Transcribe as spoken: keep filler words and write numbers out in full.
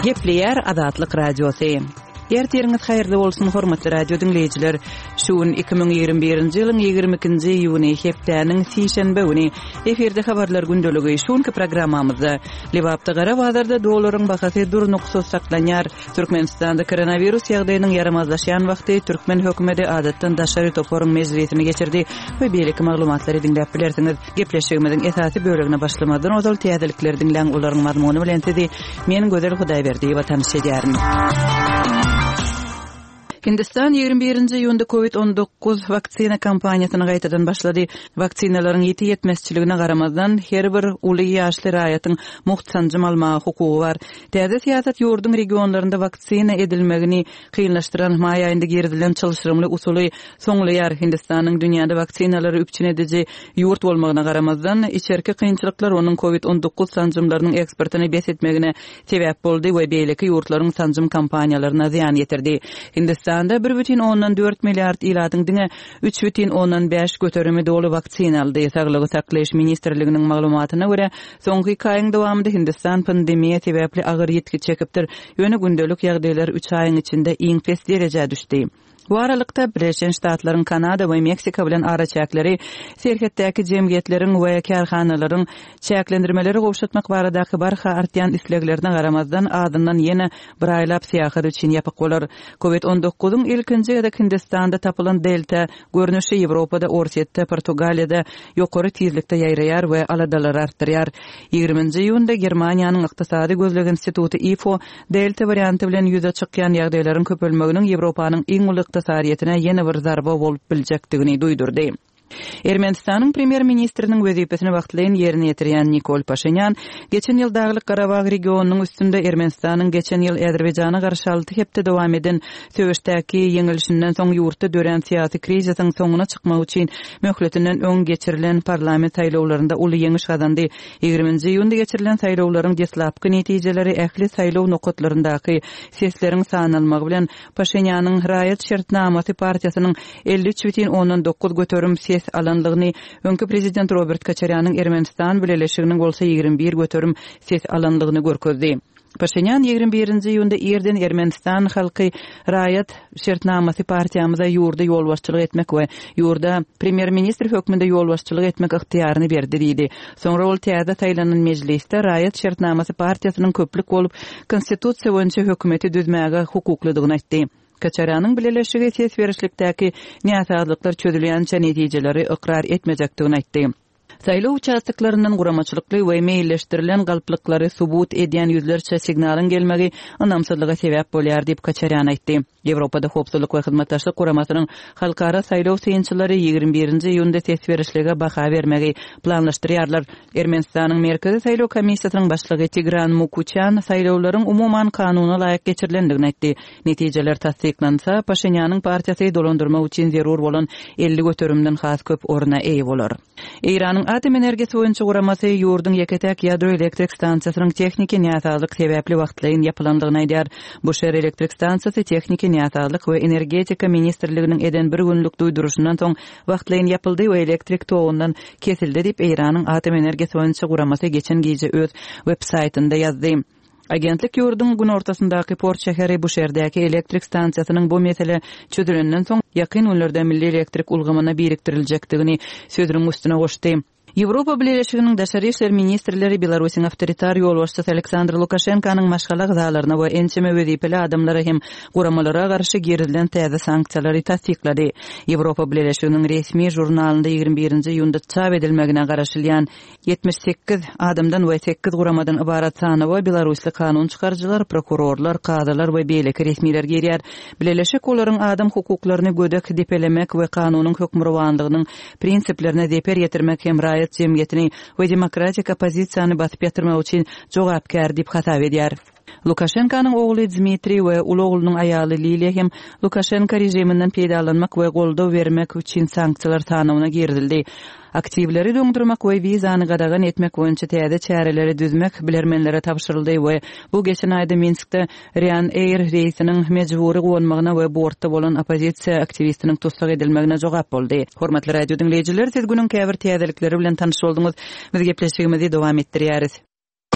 Gepleýär Azatlyk Radiosy. Ertiriňiz haýyrly bolsun, hormatly radio diňleýjiler. Şu gün iki müň ýigrimi birinji ýylyň ýigrimi ikinji iýuny, hepdäniň sişenbe güni. Efirde habarlar gündeligi. Şu günki programmamyzda Lebapda gara bazarda dollaryň bahasy durnuksyz saklanýar. Türkmenistanda koronawirus ýagdaýynyň ýaramazlaşýan wagty türkmen hökümeti adatdan daşary toparyň mejlisini geçirdi we beýleki maglumatlary diňläp bilersiňiz. Gepleşigimiziň esasy bölegine başlamazdan ozal täzelikleri diňläň, olaryň mazmuny bilen sizi men Gözel Hudaýberdiýewa tanyş edýärin. Hindistan ýigrimi birinji iýunda covid on dokuz waksina kampaniýasyny gaýtadan başlady. Waksinalaryň ýiti ýetmezçiligine garamazdan, her bir uly ýaşly raýatyň mugt sanjym almaga hukugy bar. Täze syýasat ýurduň regionlarynda waksina edilmegini kynlaşdyran maý aýynda girizilen çylşyrymly usuly soňlaýar. Hindistanyň dünýäde waksinalary üpjün ediji ýurt bolmagyna garamazdan, içerki kynçylyklar onuň covid on dokuz sanjymlarynyň eksportyny bes etmegine sebäp boldy we beýleki ýurtlaryň sanjym kampaniýalaryna zyýan ýetirdi. Hindistanda bir bütin ondan dört milliard ilatyň diňe üç bütin ondan bäş göterimi doly waksina aldy. Saglygy saklaýyş ministrliginiň maglumatyna görä, soňky iki aýyň dowamynda Hindistan pandemiýa sebäpli agyr ýitgi çekipdir. Ýöne gündelik ýagdaýlar üç aýyň içinde iň pes derejä düşdi. Bu aralykda Birleşen Ştatlaryň Kanada we Meksika bilen araçäkleri serhetdäki jemgyýetleriň we kärhanalaryň çäklendirmeleri gowşatmak baradaky barha artýan isleglerine garamazdan azyndan ýene bir aýlap syýahat üçin ýapyk bolar. Covid on dokuzyň ilkinji gezek Hindistanda tapylan Delta görnüşi Ýewropada, Orsýetde, Portugaliýada ýokary tizlikde ýaýraýar we aladalary artdyrýar. Ýigriminji iýunda Germaniýanyň Ykdysady Gözleg Instituty I F O Delta warianty bilen ýüze çykýan ýagdaýlaryň köpelmeginiň Ýewropanyň iň uly ykdysadyýetine ýene bir zarba bolup biljekdigini duýdurdy. Ermenistanyň premýer-ministriniň wezipesini wagtlaýyn ýerine ýetirýän Nikol Paşinyan geçen ýyl Daglyk Garabag regionynyň üstünde Ermenistanyň geçen ýyl Azerbaýjana garşy alty hepde dowam eden söweşdäki ýeňilişinden soň ýurtda dörän syýasy krizisiň soňuna çykmak üçin möhletinden öň geçirilen parlament saýlawlarynda uly ýeňiş gazandy. Ýigriminji iýunda geçirilen saýlawlaryň deslapky netijeleri ähli saýlaw nokatlaryndaky sesleriň sanalmagy bilen Paşinýanyň raýat şertnamasy partiýasynyň elli üç bütin ondan dokuz göterim ses alanlygyny, öňki prezident Robert Koçarýanyň Ermenistan bileleşiginiň bolsa ýigrimi bir göterim ses alanlygyny görkezdi. Paşinýan ýigrimi birinji iýunda irden Ermenistan halky raýat şertnamasy partiýamyza ýurda ýolbaşçylyk etmek we ýurda premýer-ministr hökmünde ýolbaşçylyk etmek ygtyýaryny berdi diýdi. Soňra ol täze saýlanan mejlisde raýat şertnamasy partiýasynyň köplük bolup konstitusiýa boýunça hökümeti düzmäge hukuklydygyny aýtdy. Koçarýanyň bileleşigi ses berişlikdäki näsazlyklar çözülýänçe netijeleri ykrar etmejekdigini aýtdy. Saýlaw uçastoklaryndan guramaçylykly we meýilleşdirilen galplyklary subut edýän ýüzlerçe signalyň gelmegi ynamsyzlyga sebäp bolýar diýip Koçarýan aýtdy. Ýewropada Howpsuzlyk we Hyzmatdaşlyk Guramasynyň halkara saýlaw synçylary ýigrimi birinji iýunda ses berişlige baha bermegi planlaşdyrýarlar. Ermenistanyň Merkezi Saýlaw Komissiýasynyň başlygy Tigran Mukuçan saýlawlaryň umuman kanuna laýyk geçirilendigini aýtdy. Netijeler tassyklansa, Paşinýanyň partiýasy dolandyrmak üçin zerur bolan elli göterimden has köp orna eýe bolar. Eýranyň atom energiýasy boýunça guramasy ýurduň ýeke-täk ýadro elektrik stansiýasynyň tehniki näsazlyk sebäpli wagtlaýyn ýapylandygyny aýdýar. Bu şer elektrik stansiýasy tehniki näsazlyk we energetika ministrliginiň eden bir günlük duýduryşyndan soň wagtlaýyn ýapyldy we elektrik togundan kesildi diýip Eýranyň atom energiýasy boýunça guramasy geçen gije öz web saýtynda ýazdy. Agentlik ýurduň günortasyndaky port şäheri bu şäherdäki elektrik stansiýasynyň bu mesele çözülenden soň ýakyn günlerde milli elektrik ulgamyna biriktiriljekdigini sözüniň üstüne goşdy. Ýewropa Bileleşiginiň daşary işler ministrleri Belarusyň awtoritar ýolbaşçysy Aleksandr Lukaşenkanyň maşgala agzalaryna we ençeme wezipeli adamlara hem guramalara garşy girizilen täze sanksiýalary tassyklady. Ýewropa Bileleşiginiň resmi jurnalynda ýigrimi birinji iýunda çap edilmegine garaşylýan ýetmiş sekiz adamdan we sekiz guramadan ybarat sanawa Belarusly kanun çykaryjylar, prokurorlar, kazylar we beýleki resmiler girýär. Bileleşik olaryň adam hukuklaryny gödek depelemek we kanunyň hökmürowanlygynyň prinsiplerine zeper ýetirmek hem raýat jemgyýetini we demokratik oppozisiýany basyp ýatyrmak üçin jogapkär diýip hasap edýär. Lukaşenkanyň ogly Dmitriý we uly oglunyň aýaly Liliýa hem Lukaşenka režiminden peýdalanmak we goldaw bermek üçin sanksiýalar sanawyna girizildi. Aktiwleri doňdurmak we wizany gadagan etmek boýunça täze çäreleri düzmek bilermenlere tabşyryldy we bu geçen aýda Minskde Ryanair reýsiniň mejbury gonmagyna we bortda bolan oppozisiýa aktiwistiniň tussag edilmegine jogap boldy. Hormatly radio diňleýjiler, siz günüň käbir täzelikleri bilen tanyş bolduňyz. Biz gepleşigimizi dowam etdirýäris.